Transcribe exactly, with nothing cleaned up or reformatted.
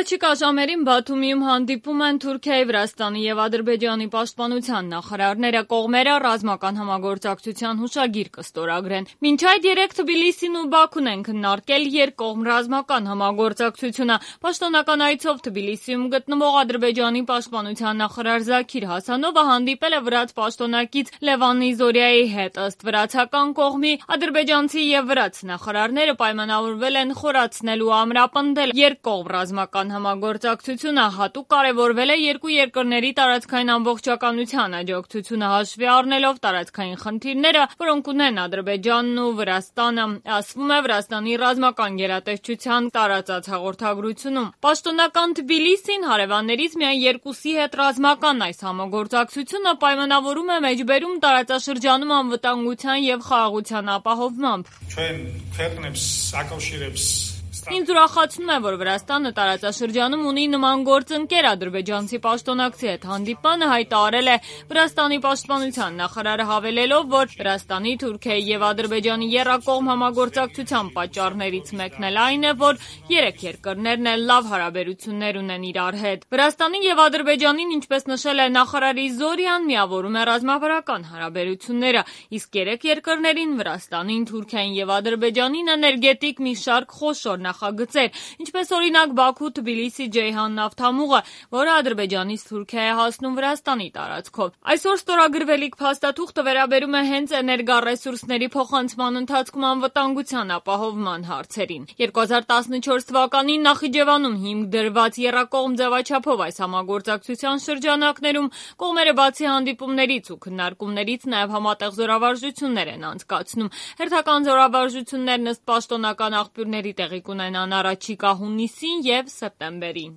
Առաջիկա ժամերին Բաթումիում հանդիպում են Թուրքիայի, Վրաստանի և Ադրբեջանի պաշտպանության նախարարները, կողմերը ռազմական համագործակցության հուշագիր կստորագրեն։ Մինչ այդ երեկ Թբիլիսին ու Բաքուն են քննարկել երկկողմ ռազմական համագործակցությունը։ Պաշտոնական այցով Թբիլիսիում գտնվող Ադրբեջանի պաշտպանության նախարար Զաքիր Հասանովը հանդիպել է վրաց պաշտոնակից Լևան Զորիայի հետ։ Ըստ վրացական կողմի, ադրբեջանցի և վրաց նախարարները պայմանավորվել են խորացնել ու ամրապնդել երկկողմ ռազմական համագործակցությունը, հատուկ կարևորվել է երկու երկրների տարածքային ամբողջականության աջակցությունը հաշվի առնելով տարածքային խնդիրները, որոնք ունեն Ադրբեջանն ու Վրաստանը, ասվում է Վրաստանի ռազմական գերատեսչության տարածած հաղորդագրությունում։ Պաշտոնական Թբիլիսին հարևաններից միայն երկուսի հետ ռազմական այս համագործակցությունը պայմանավորում է մեջբերում տարածաշրջանում անվտանգության և խաղաղության ապահովմամբ։ Ինձ ուրախացնում է, որ Վրաստանը տարածաշրջանում ունի նման գործընկեր։ Ադրբեջանցի պաշտոնակցի հետ հանդիպմանը հայտարարել է Վրաստանի պաշտպանության նախարարը, հավելելով, որ Վրաստանի, Թուրքիայի և Ադրբեջանի եռակողմ համագործակցության պատճառներից մեկն էլ այն է, որ երեք երկրներն էլ լավ հարաբերություններ ունեն իրար հետ։ Վրաստանին և Ադրբեջանին, ինչպես նշել է նախարարի Զորիան, միավորում է ռազմավարական հարաբերությունները, իսկ երեք երկրներին՝ Վրաստանին, Թուրքիային և Ադրբեջանին, էներգետիկ մի շարք խոշոր նախագծեր, ինչպես օրինակ Բաքու-Թբիլիսի-Ջեյհան նավթամուղը, որը Ադրբեջանից Թուրքիա է հասնում Վրաստանի տարածքով։ Այսօր ստորագրվելիք փաստաթուղթը վերաբերում է հենց էներգառեսուրսների փոխանցման ընթացքում անվտանգության ապահովման հարցերին։ երկու հազար տասնչորս թվականին Նախիջևանում հիմք դրված եռակողմ ձևաչափով այս համագործակցության շրջանակներում կողմերը բացի հանդիպումներից ու քննարկումներից նաև համատեղ զորավարժություններ են անցկացնում։ Հերթական զորավարժություններն ըստ պաշտոնական աղբյուրների տեղի կունենան առաջիկա հունիսին և սեպտեմբերին։